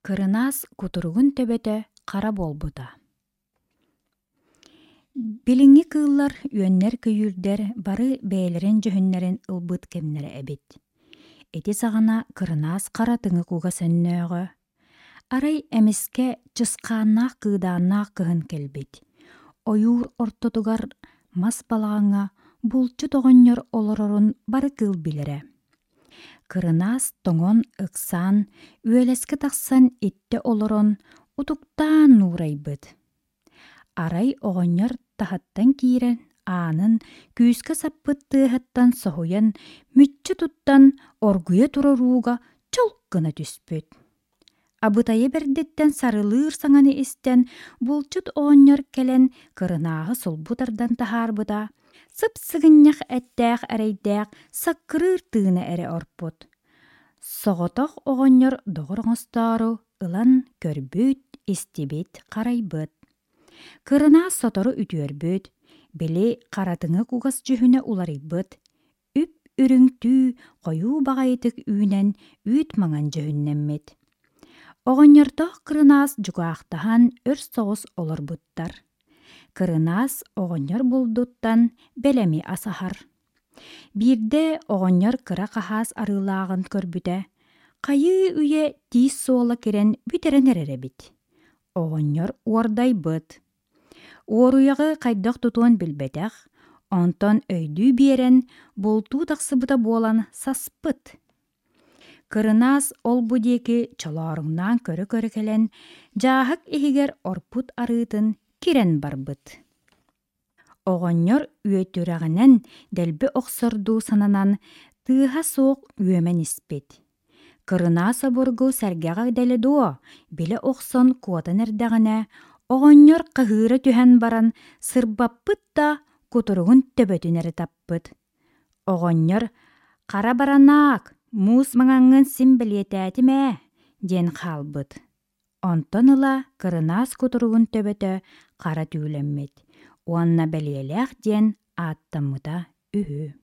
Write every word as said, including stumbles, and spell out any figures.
Кырынаас кутуругун төбөтө хара буолбута. Билиҥҥи кыыллар, үөннэр-көйүүрдэр бары бэйэлэрин дьүһүннэрин ылбыт кэмнэрэ эбит. Ити саҕана кырынаас хара тыҥы кугас өннөөҕө. Арай эмискэ чысхааннаах кыыдааннаах кыһын кэлбит. Ойуур ортотугар мас балаҕаҥҥа булчут оҕонньор олорорун бары кыыл билэрэ. Кырынаас тоҥон ыксаан, үөлэскэ тахсан иттэ олорон, утуктаан нуурайбыт. Арай оҕонньор таһыттан киирэн аанын күүскэ саппыт тыаһыттан соһуйан, мүччү туттан оргуйа турар ууга чолк гына түспүт. Абытайа бэрдиттэн сарылыыр саҥаны истэн, булчут оҕонньор кэлэн кырынааһы сулбу тардан таһаарбыта, сып-сыгынньах эттээх эрэйдээх саккырыыр тыына эрэ орпут. Соҕотох оҕонньор доҕор оҥостоору ылан көрбүт, истибит, харайбыт. Кырынаас сотору үтүөрбүт, били харатыҥы кугас дьүһүнэ уларыйбыт, үп-үрүҥ түү хойуу баҕайытык үүнэн үүт маҥан дьүһүннэммит. Оҕонньордоох кырынаас дьукаахтаһан өр соҕус олорбуттар. Кырынаас оҕонньор булдуттан бэлэми асаһар. Биирдэ оҕонньор кыра хаһаас арыылааҕын көрбүтэ, хайыы үйэ тиис суола кирэн бүтэрэн эрэр эбит. Оҕонньор уордайбыт. Уоруйаҕы хайдах тутуон билбэтэх, онтон өйдүү биэрэн, бултуу тахсыбыта буолан саспыт. Кырынаас ол-бу диэки чолооруҥнаан көрө-көрө кэлэн, дьааһык иһигэр орпут арыытын кирэн барбыт. Оҕонньор үөтүрэҕинэн дэлби охсордуу сананан, тыаһа суох үөмэн испит. Кырынаас обургу сэргэҕэ дэлэ дуо, билэ охсон куотан эрдэҕинэ, оҕонньор хаһыыра түһэн баран сырбаппыт да кутуругун төбөтүн эрэ таппыт. Оҕонньор «Хара баранаак, муус маҥаҥҥын син бэлиэтээтим ээ» диэн хаалбыт. Онтон ыла кырынаас кутуругун төбөтө хара түүлэммит уонна бэлиэлээх диэн ааттаммыта үһү.